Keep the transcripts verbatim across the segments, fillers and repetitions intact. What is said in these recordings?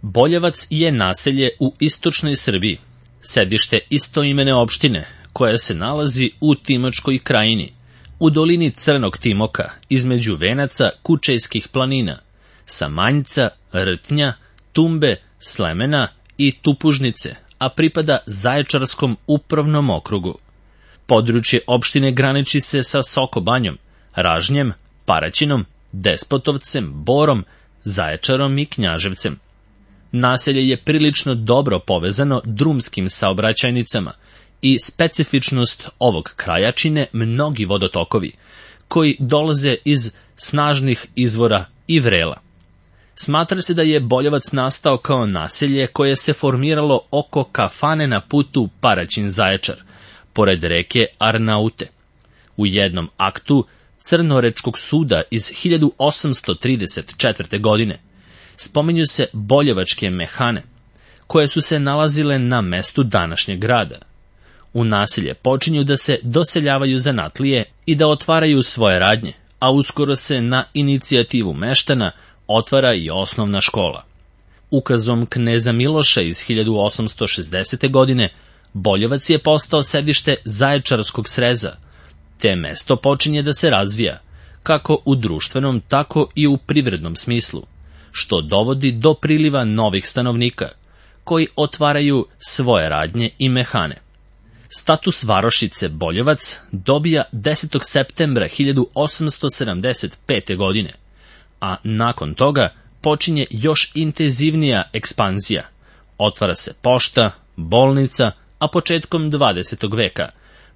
Boljevac je naselje u istočnoj Srbiji, sedište istoimene opštine, koja se nalazi u Timočkoj krajini, u dolini Crnog Timoka, između venaca Kučejskih planina, Samanjca, Rtnja, Tumbe, Slemena i Tupužnice, a pripada Zaječarskom upravnom okrugu. Područje opštine graniči se sa Sokobanjom, Ražnjem, Paraćinom, Despotovcem, Borom, Zaječarom i Knjaževcem. Naselje je prilično dobro povezano drumskim saobraćajnicama i specifičnost ovog kraja čine mnogi vodotokovi, koji dolaze iz snažnih izvora i vrela. Smatra se da je Boljevac nastao kao naselje koje se formiralo oko kafane na putu Paraćin-Zaječar, pored reke Arnaute. U jednom aktu Crnorečkog suda iz hiljadu osamsto trideset četvrte. godine spominju se boljevačke mehane, koje su se nalazile na mestu današnjeg grada. U naselje počinju da se doseljavaju zanatlije i da otvaraju svoje radnje, a uskoro se na inicijativu meštana otvara i osnovna škola. Ukazom kneza Miloša iz hiljadu osamsto šezdesete. godine Boljevac je postao sedište Zaječarskog sreza, te mesto počinje da se razvija, kako u društvenom, tako i u privrednom smislu, što dovodi do priliva novih stanovnika, koji otvaraju svoje radnje i mehane. Status varošice Boljevac dobija desetog septembra hiljadu osamsto sedamdeset pete. godine, a nakon toga počinje još intenzivnija ekspanzija. Otvara se pošta, bolnica, a početkom dvadesetog veka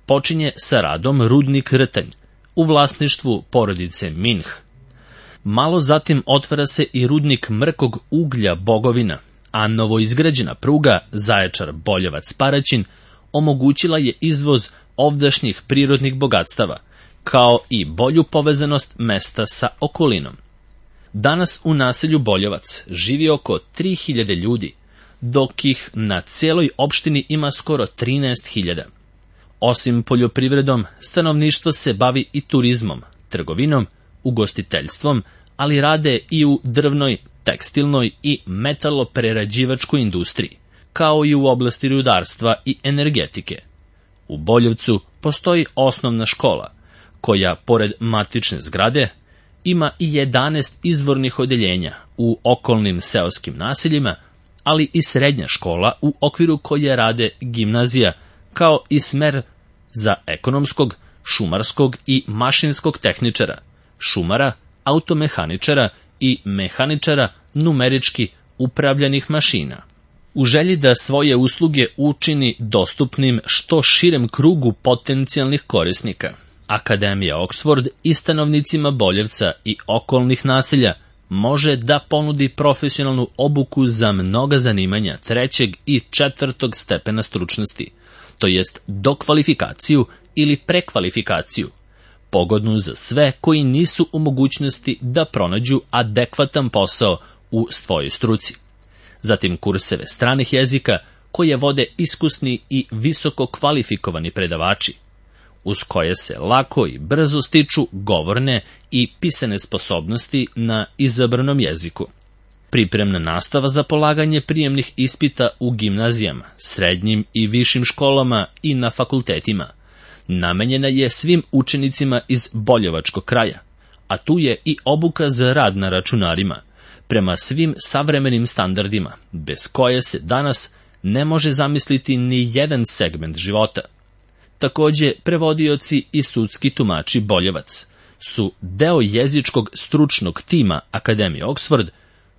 počinje sa radom rudnik Rtanj u vlasništvu porodice Minh. Malo zatim otvara se i rudnik mrkog uglja Bogovina, a novoizgrađena pruga Zaječar-Boljevac-Paraćin omogućila je izvoz ovdašnjih prirodnih bogatstava, kao i bolju povezanost mesta sa okolinom. Danas u naselju Boljevac živi oko tri hiljade ljudi, dok ih na cijeloj opštini ima skoro trinaest hiljada. Osim poljoprivredom, stanovništvo se bavi i turizmom, trgovinom, ugostiteljstvom, ali rade i u drvnoj, tekstilnoj i metaloprerađivačkoj industriji, kao i u oblasti rudarstva i energetike. U Boljevcu postoji osnovna škola, koja, pored matične zgrade, ima i jedanaest izvornih odeljenja u okolnim seoskim naseljima, ali i srednja škola u okviru koje rade gimnazija, kao i smer za ekonomskog, šumarskog i mašinskog tehničara, šumara, automehaničara i mehaničara numerički upravljanih mašina. U želji da svoje usluge učini dostupnim što širem krugu potencijalnih korisnika, Akademija Oxford i stanovnicima Boljevca i okolnih naselja može da ponudi profesionalnu obuku za mnoga zanimanja trećeg i četvrtog stepena stručnosti, to jest dokvalifikaciju ili prekvalifikaciju, pogodnu za sve koji nisu u mogućnosti da pronađu adekvatan posao u svojoj struci. Zatim kurseve stranih jezika koje vode iskusni i visoko kvalifikovani predavači, uz koje se lako i brzo stiču govorne i pisane sposobnosti na izabranom jeziku. Pripremna nastava za polaganje prijemnih ispita u gimnazijama, srednjim i višim školama i na fakultetima namenjena je svim učenicima iz boljevačkog kraja, a tu je i obuka za rad na računarima, prema svim savremenim standardima, bez koje se danas ne može zamisliti ni jedan segment života. Takođe, prevodioci i sudski tumači Boljevac su deo jezičkog stručnog tima Akademije Oxford,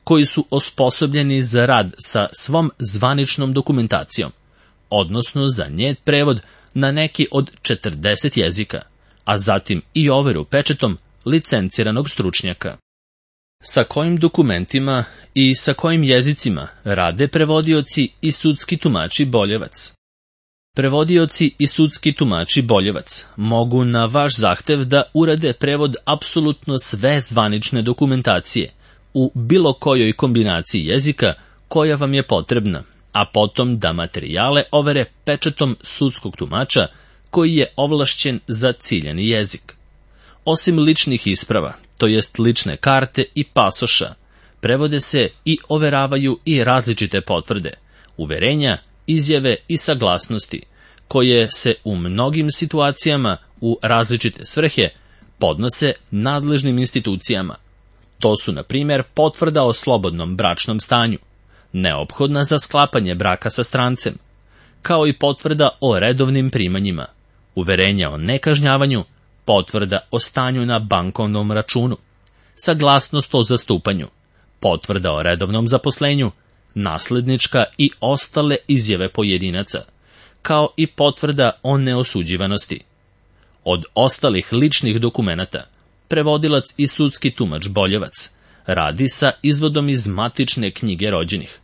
koji su osposobljeni za rad sa svom zvaničnom dokumentacijom, odnosno za njen prevod na neki od četrdeset jezika, a zatim i overu pečetom licenciranog stručnjaka. Sa kojim dokumentima i sa kojim jezicima rade prevodioci i sudski tumači Boljevac? Prevodioci i sudski tumači Boljevac mogu na vaš zahtev da urade prevod apsolutno sve zvanične dokumentacije u bilo kojoj kombinaciji jezika koja vam je potrebna, a potom da materijale overe pečetom sudskog tumača koji je ovlašćen za ciljani jezik. Osim ličnih isprava, to jest lične karte i pasoša, prevode se i overavaju i različite potvrde, uverenja, izjave i saglasnosti, koje se u mnogim situacijama u različite svrhe podnose nadležnim institucijama. To su, na primjer, potvrda o slobodnom bračnom stanju, neophodna za sklapanje braka sa strancem, kao i potvrda o redovnim primanjima, uverenja o nekažnjavanju, potvrda o stanju na bankovnom računu, saglasnost o zastupanju, potvrda o redovnom zaposlenju, naslednička i ostale izjave pojedinaca, kao i potvrda o neosuđivanosti. Od ostalih ličnih dokumenata, prevodilac i sudski tumač Boljevac radi sa izvodom iz matične knjige rođenih,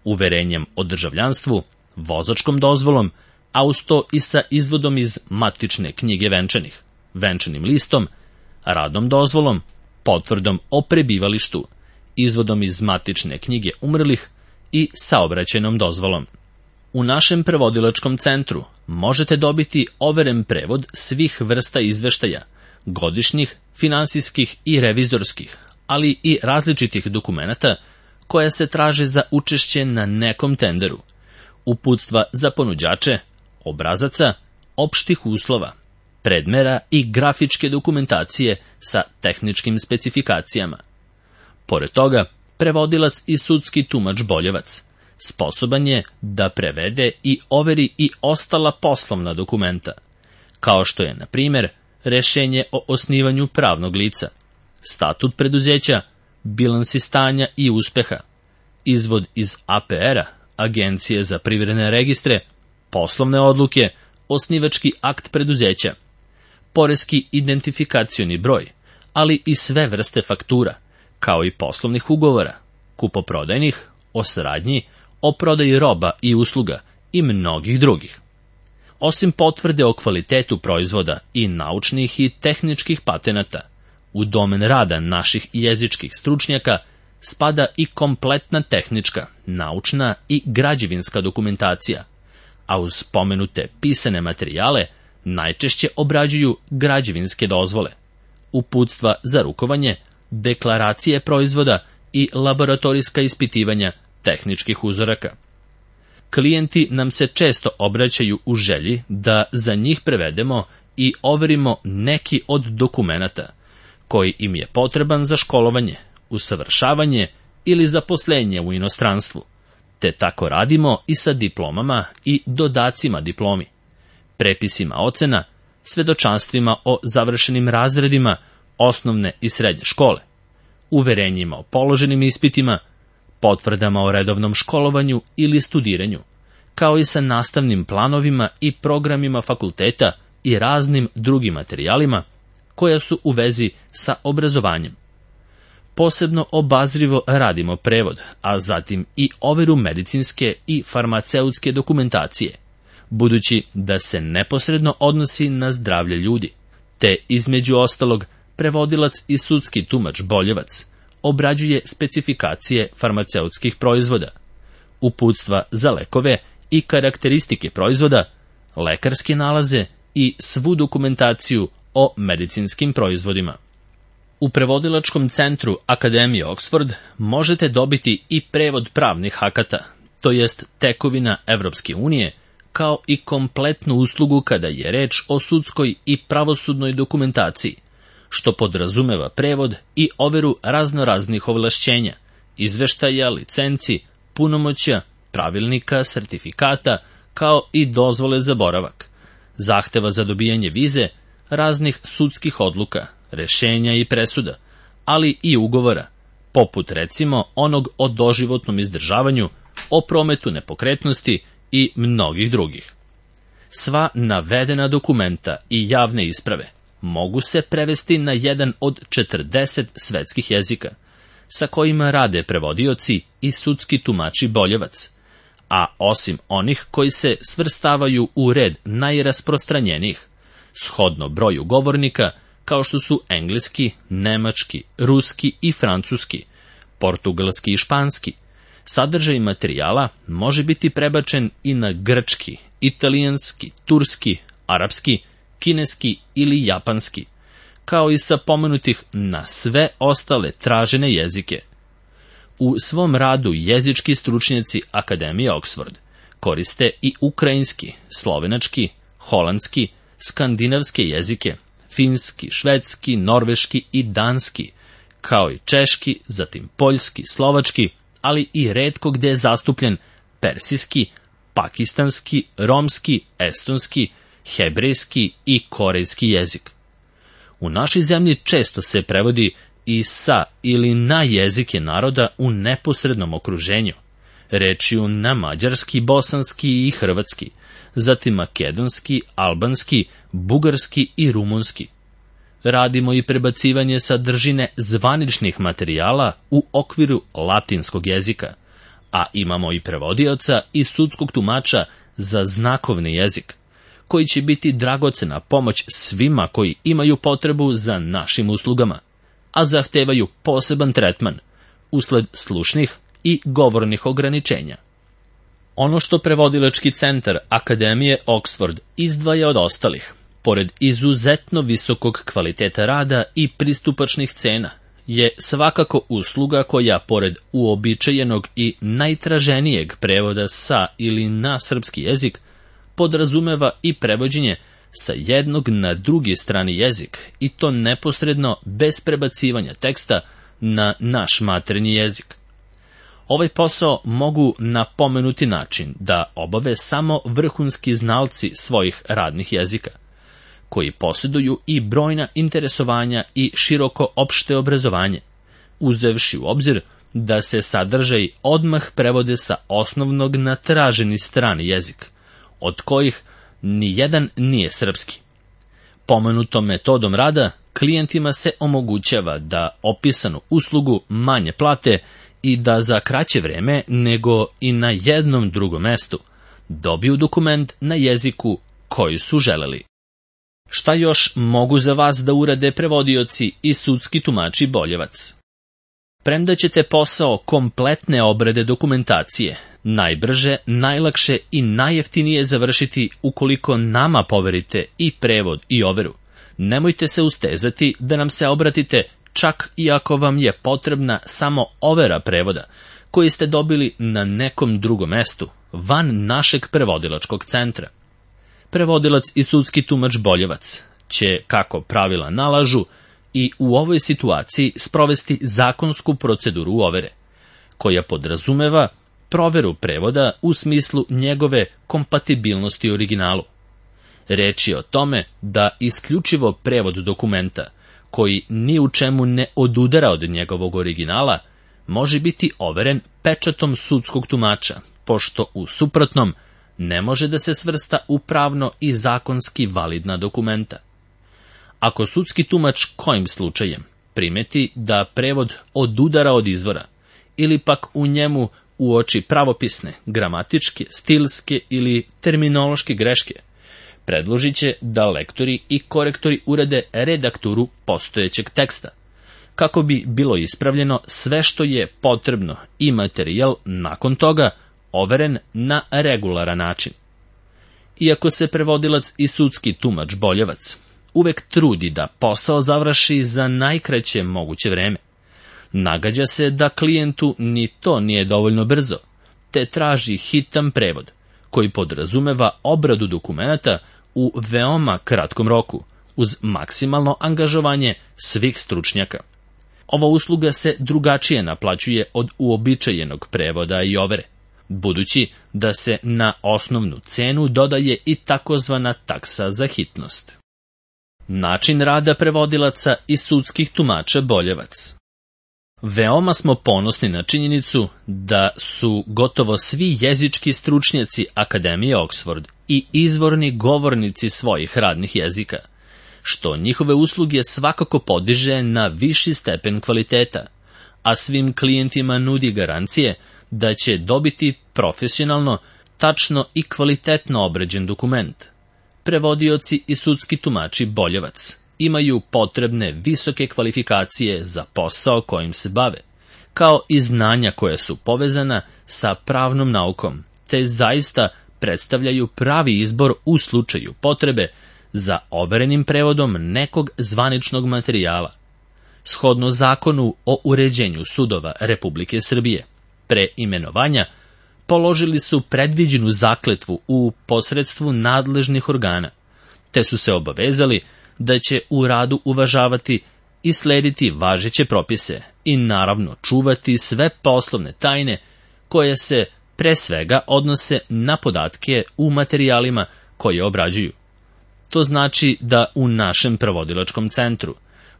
uverenjem o državljanstvu, vozačkom dozvolom, a uz to i sa izvodom iz matične knjige venčanih, venčanim listom, radnom dozvolom, potvrdom o prebivalištu, izvodom iz matične knjige umrlih i saobraćajnom dozvolom. U našem prevodilačkom centru možete dobiti overen prevod svih vrsta izveštaja, godišnjih, finansijskih i revizorskih, ali i različitih dokumenata koja se traže za učešće na nekom tenderu, uputstva za ponuđače, obrazaca, opštih uslova, predmera i grafičke dokumentacije sa tehničkim specifikacijama. Pored toga, prevodilac i sudski tumač Boljevac sposoban je da prevede i overi i ostala poslovna dokumenta, kao što je, na primjer, rešenje o osnivanju pravnog lica, statut preduzeća, bilansi stanja i uspeha, izvod iz A P R-a, Agencije za privredne registre, poslovne odluke, osnivački akt preduzeća, poreski identifikacioni broj, ali i sve vrste faktura, kao i poslovnih ugovora, kupoprodajnih, o saradnji, o prodaji roba i usluga i mnogih drugih. Osim potvrde o kvalitetu proizvoda i naučnih i tehničkih patenata, u domen rada naših jezičkih stručnjaka spada i kompletna tehnička, naučna i građevinska dokumentacija, a uz spomenute pisane materijale najčešće obrađuju građevinske dozvole, uputstva za rukovanje, deklaracije proizvoda i laboratorijska ispitivanja tehničkih uzoraka. Klijenti nam se često obraćaju u želji da za njih prevedemo i overimo neki od dokumenata koji im je potreban za školovanje, usavršavanje ili zaposlenje u inostranstvu, te tako radimo i sa diplomama i dodacima diplomi, prepisima ocena, svedočanstvima o završenim razredima osnovne i srednje škole, uverenjima o položenim ispitima, potvrdama o redovnom školovanju ili studiranju, kao i sa nastavnim planovima i programima fakulteta i raznim drugim materijalima koja su u vezi sa obrazovanjem. Posebno obazrivo radimo prevod, a zatim i overu medicinske i farmaceutske dokumentacije, budući da se neposredno odnosi na zdravlje ljudi, te između ostalog prevodilac i sudski tumač Boljevac obrađuje specifikacije farmaceutskih proizvoda, uputstva za lekove i karakteristike proizvoda, lekarske nalaze i svu dokumentaciju o medicinskim proizvodima. U prevodilačkom centru Akademije Oxford možete dobiti i prevod pravnih akata, to jest tekovina Evropske unije, kao i kompletnu uslugu kada je reč o sudskoj i pravosudnoj dokumentaciji, što podrazumeva prevod i overu raznoraznih ovlašćenja, izveštaja, licenci, punomoćja, pravilnika, sertifikata, kao i dozvole za boravak, zahteva za dobijanje vize, raznih sudskih odluka, rešenja i presuda, ali i ugovora, poput recimo onog o doživotnom izdržavanju, o prometu nepokretnosti i mnogih drugih. Sva navedena dokumenta i javne isprave mogu se prevesti na jedan od četrdeset svetskih jezika, sa kojima rade prevodioci i sudski tumači Boljevac, a osim onih koji se svrstavaju u red najrasprostranjenijih, shodno broju govornika, kao što su engleski, nemački, ruski i francuski, portugalski i španski, sadržaj materijala može biti prebačen i na grčki, italijanski, turski, arapski, kineski ili japanski, kao i sa pomenutih na sve ostale tražene jezike. U svom radu jezički stručnjaci Akademije Oxford koriste i ukrajinski, slovenački, holandski, skandinavske jezike, finski, švedski, norveški i danski, kao i češki, zatim poljski, slovački, ali i retko gde je zastupljen persijski, pakistanski, romski, estonski, hebrejski i korejski jezik. U našoj zemlji često se prevodi i sa ili na jezike naroda u neposrednom okruženju, rečju na mađarski, bosanski i hrvatski, zatim makedonski, albanski, bugarski i rumunski. Radimo i prebacivanje sadržine zvaničnih materijala u okviru latinskog jezika, a imamo i prevodioca i sudskog tumača za znakovni jezik, koji će biti dragocena pomoć svima koji imaju potrebu za našim uslugama, a zahtevaju poseban tretman usled slušnih i govornih ograničenja. Ono što prevodilački centar Akademije Oxford izdvaja od ostalih, pored izuzetno visokog kvaliteta rada i pristupačnih cena, je svakako usluga koja, pored uobičajenog i najtraženijeg prevoda sa ili na srpski jezik, podrazumeva i prevođenje sa jednog na drugi strani jezik, i to neposredno bez prebacivanja teksta na naš maternji jezik. Ovaj posao mogu na pomenuti način da obave samo vrhunski znalci svojih radnih jezika, koji posjeduju i brojna interesovanja i široko opšte obrazovanje, uzevši u obzir da se sadržaj odmah prevode sa osnovnog na traženi strani jezik, od kojih ni jedan nije srpski. Pomenutom metodom rada klijentima se omogućava da opisanu uslugu manje plate i da za kraće vreme nego i na jednom drugom mestu dobiju dokument na jeziku koji su želeli. Šta još mogu za vas da urade prevodioci i sudski tumači Boljevac? Premda ćete posao kompletne obrade dokumentacije najbrže, najlakše i najjeftinije završiti ukoliko nama poverite i prevod i overu, nemojte se ustezati da nam se obratite čak i ako vam je potrebna samo overa prevoda koji ste dobili na nekom drugom mestu, van našeg prevodilačkog centra. Prevodilac i sudski tumač Boljevac će, kako pravila nalažu, i u ovoj situaciji sprovesti zakonsku proceduru overe, koja podrazumeva proveru prevoda u smislu njegove kompatibilnosti originalu. Reč je o tome da isključivo prevod dokumenta, koji ni u čemu ne odudara od njegovog originala, može biti overen pečatom sudskog tumača, pošto u suprotnom ne može da se svrsta u pravno i zakonski validna dokumenta. Ako sudski tumač kojim slučajem primeti da prevod odudara od izvora, ili pak u njemu uoči pravopisne, gramatičke, stilske ili terminološke greške, predložit će da lektori i korektori urede redakturu postojećeg teksta, kako bi bilo ispravljeno sve što je potrebno i materijal nakon toga overen na regularan način. Iako se prevodilac i sudski tumač Boljevac uvek trudi da posao završi za najkraće moguće vreme, nagađa se da klijentu ni to nije dovoljno brzo, te traži hitan prevod, koji podrazumeva obradu dokumenata u veoma kratkom roku, uz maksimalno angažovanje svih stručnjaka. Ova usluga se drugačije naplaćuje od uobičajenog prevoda i overe, budući da se na osnovnu cenu dodaje i takozvana taksa za hitnost. Način rada prevodilaca i sudskih tumača Boljevac. Veoma smo ponosni na činjenicu da su gotovo svi jezički stručnjaci Akademije Oxford i izvorni govornici svojih radnih jezika, što njihove usluge svakako podiže na viši stepen kvaliteta, a svim klijentima nudi garancije da će dobiti profesionalno, tačno i kvalitetno obrađen dokument. Prevodioci i sudski tumači Boljevac imaju potrebne visoke kvalifikacije za posao kojim se bave, kao i znanja koja su povezana sa pravnom naukom, te zaista predstavljaju pravi izbor u slučaju potrebe za overenim prevodom nekog zvaničnog materijala, Shodno Zakonu o uređenju sudova Republike Srbije, pre imenovanja, položili su predviđenu zakletvu u posredstvu nadležnih organa, te su se obavezali da će u radu uvažavati i slediti važeće propise i naravno čuvati sve poslovne tajne koje se pre svega odnose na podatke u materijalima koje obrađuju. To znači da u našem prevodilačkom centru,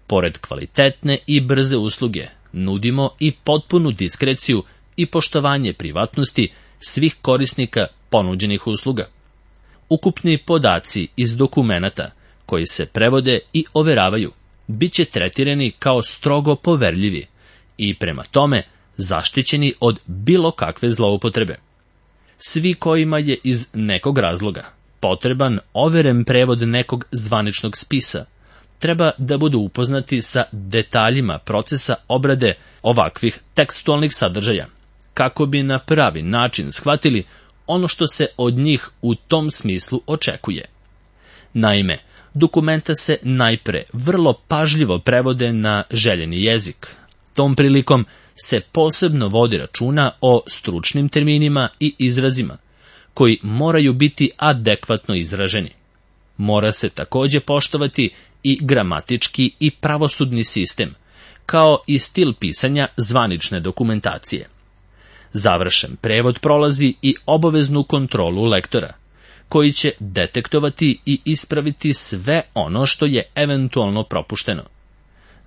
pored kvalitetne i brze usluge, nudimo i potpunu diskreciju i poštovanje privatnosti svih korisnika ponuđenih usluga. Ukupni podaci iz dokumenata koji se prevode i overavaju bit će tretirani kao strogo poverljivi i prema tome zaštićeni od bilo kakve zloupotrebe. Svi kojima je iz nekog razloga potreban overen prevod nekog zvaničnog spisa, treba da budu upoznati sa detaljima procesa obrade ovakvih tekstualnih sadržaja, kako bi na pravi način shvatili ono što se od njih u tom smislu očekuje. Naime, dokumenta se najpre vrlo pažljivo prevode na željeni jezik. Tom prilikom se posebno vodi računa o stručnim terminima i izrazima, koji moraju biti adekvatno izraženi. Mora se takođe poštovati i gramatički i pravosudni sistem, kao i stil pisanja zvanične dokumentacije. Završen prevod prolazi i obaveznu kontrolu lektora, koji će detektovati i ispraviti sve ono što je eventualno propušteno.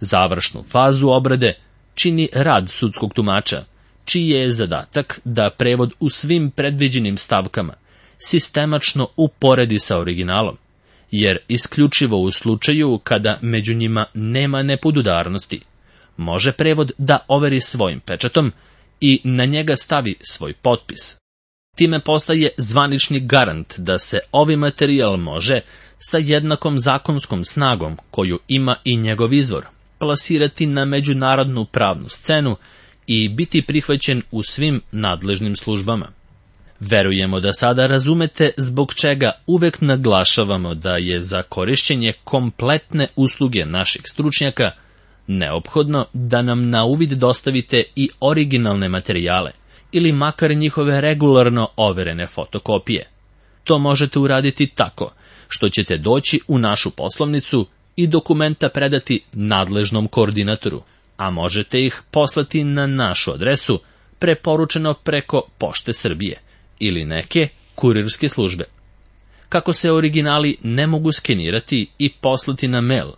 Završnu fazu obrade čini rad sudskog tumača, čiji je zadatak da prevod u svim predviđenim stavkama sistemačno uporedi sa originalom, jer isključivo u slučaju kada među njima nema nepodudarnosti, može prevod da overi svojim pečatom i na njega stavi svoj potpis. Time postaje zvanični garant da se ovaj materijal može, sa jednakom zakonskom snagom koju ima i njegov izvor, plasirati na međunarodnu pravnu scenu i biti prihvaćen u svim nadležnim službama. Verujemo da sada razumete zbog čega uvek naglašavamo da je za korišćenje kompletne usluge naših stručnjaka neophodno da nam na uvid dostavite i originalne materijale ili makar njihove regularno overene fotokopije. To možete uraditi tako što ćete doći u našu poslovnicu i dokumenta predati nadležnom koordinatoru, a možete ih poslati na našu adresu preporučeno preko Pošte Srbije ili neke kurirske službe. Kako se originali ne mogu skenirati i poslati na mail,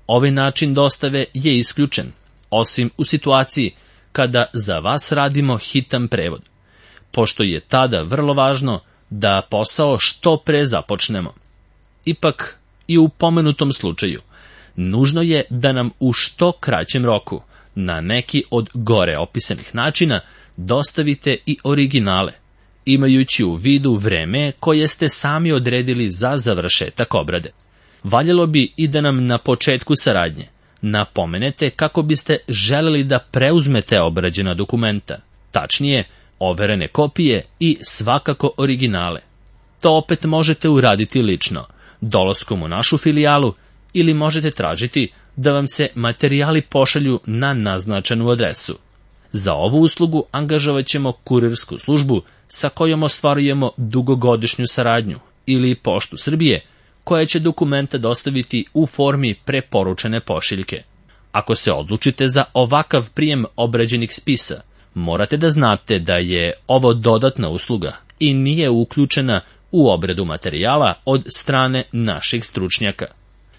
ovaj način dostave je isključen, osim u situaciji kada za vas radimo hitan prevod, pošto je tada vrlo važno da posao što pre započnemo. Ipak, i u pomenutom slučaju, nužno je da nam u što kraćem roku, na neki od gore opisanih načina, dostavite i originale, imajući u vidu vreme koje ste sami odredili za završetak obrade. Valjalo bi i da nam na početku saradnje napomenete kako biste želeli da preuzmete obrađena dokumenta, tačnije, overene kopije i svakako originale. To opet možete uraditi lično, dolaskom u našu filijalu, ili možete tražiti da vam se materijali pošalju na naznačenu adresu. Za ovu uslugu angažovat ćemo kurirsku službu sa kojom ostvarujemo dugogodišnju saradnju, ili Poštu Srbije, koja će dokumenta dostaviti u formi preporučene pošiljke. Ako se odlučite za ovakav prijem obrađenih spisa, morate da znate da je ovo dodatna usluga i nije uključena u obradu materijala od strane naših stručnjaka.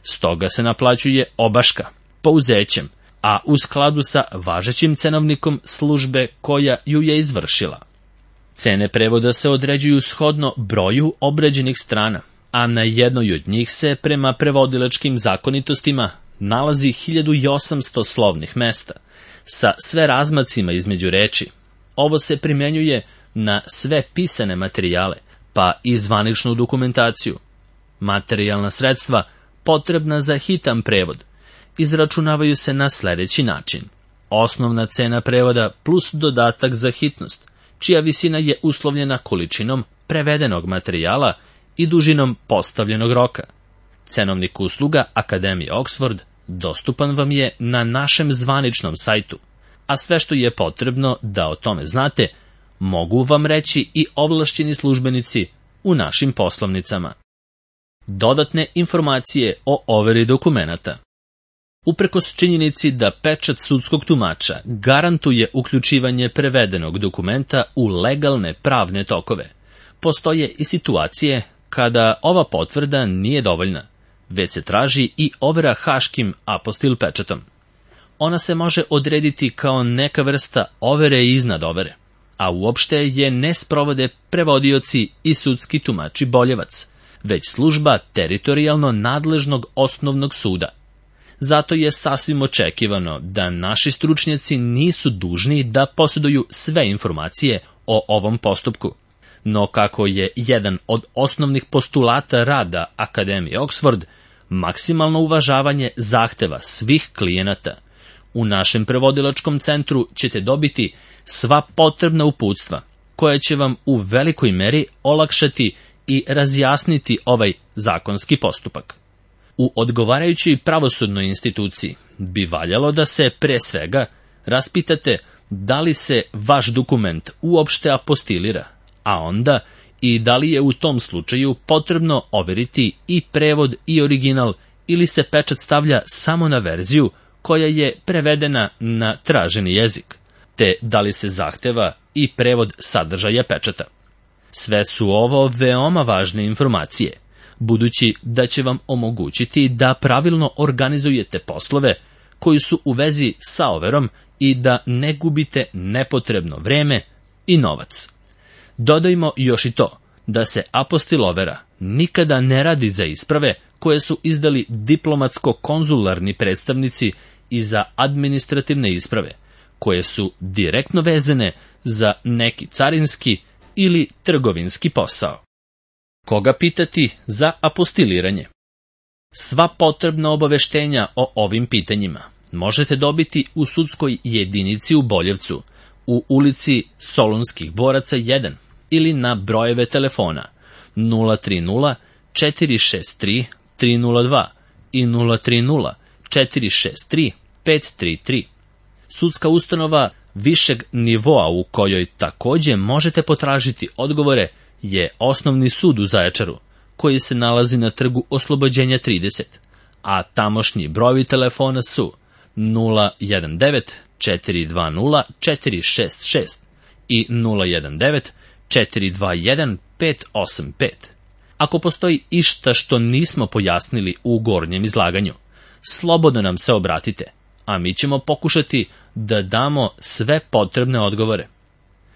Stoga se naplaćuje obaška, pouzećem, a u skladu sa važećim cenovnikom službe koja ju je izvršila. Cene prevoda se određuju shodno broju obrađenih strana, a na jednoj od njih se prema prevodilačkim zakonitostima nalazi hiljadu osamsto slovnih mesta, sa sve razmacima između reči. Ovo se primenjuje na sve pisane materijale, pa i zvaničnu dokumentaciju. Materijalna sredstva potrebna za hitan prevod izračunavaju se na sledeći način. Osnovna cena prevoda plus dodatak za hitnost, čija visina je uslovljena količinom prevedenog materijala i dužinom postavljenog roka. Cenovnik usluga Akademije Oxford dostupan vam je na našem zvaničnom sajtu, a sve što je potrebno da o tome znate, mogu vam reći i ovlašćeni službenici u našim poslovnicama. Dodatne informacije o overi dokumenata. Uprkos činjenici da pečat sudskog tumača garantuje uključivanje prevedenog dokumenta u legalne pravne tokove, postoje i situacije kada ova potvrda nije dovoljna, već se traži i overa haškim apostil pečatom. Ona se može odrediti kao neka vrsta overe iznad overe, a uopšte je ne sprovode prevodioci i sudski tumači Boljevac, već služba teritorijalno nadležnog osnovnog suda. Zato je sasvim očekivano da naši stručnjaci nisu dužni da posjeduju sve informacije o ovom postupku. No kako je jedan od osnovnih postulata rada Akademije Oxford maksimalno uvažavanje zahteva svih klijenata, u našem prevodilačkom centru ćete dobiti sva potrebna uputstva koja će vam u velikoj meri olakšati i razjasniti ovaj zakonski postupak. U odgovarajućoj pravosudnoj instituciji bi valjalo da se pre svega raspitate da li se vaš dokument uopšte apostilira, a onda i da li je u tom slučaju potrebno overiti i prevod i original ili se pečat stavlja samo na verziju koja je prevedena na traženi jezik, te da li se zahteva i prevod sadržaja pečata. Sve su ovo veoma važne informacije, budući da će vam omogućiti da pravilno organizujete poslove koji su u vezi sa overom i da ne gubite nepotrebno vreme i novac. Dodajmo još i to da se apostil overa nikada ne radi za isprave koje su izdali diplomatsko-konzularni predstavnici i za administrativne isprave, koje su direktno vezane za neki carinski ili trgovinski posao. Koga pitati za apostiliranje? Sva potrebna obaveštenja o ovim pitanjima možete dobiti u sudskoj jedinici u Boljevcu, u ulici Solunskih boraca jedan ili na brojeve telefona nula tri nula četiri šest tri tri nula dva i nula tri nula četiri šest tri pet tri tri. Sudska ustanova višeg nivoa u kojoj takođe možete potražiti odgovore je Osnovni sud u Zaječaru, koji se nalazi na Trgu Oslobođenja trideset, a tamošnji brojevi telefona su nula jedan devet četiri dva nula četiri šest šest i nula jedan devet četiri dva jedan pet osam pet. Ako postoji išta što nismo pojasnili u gornjem izlaganju, slobodno nam se obratite, a mi ćemo pokušati da damo sve potrebne odgovore.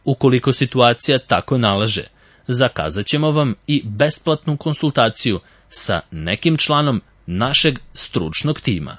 Ukoliko situacija tako nalaže, zakazat ćemo vam i besplatnu konsultaciju sa nekim članom našeg stručnog tima.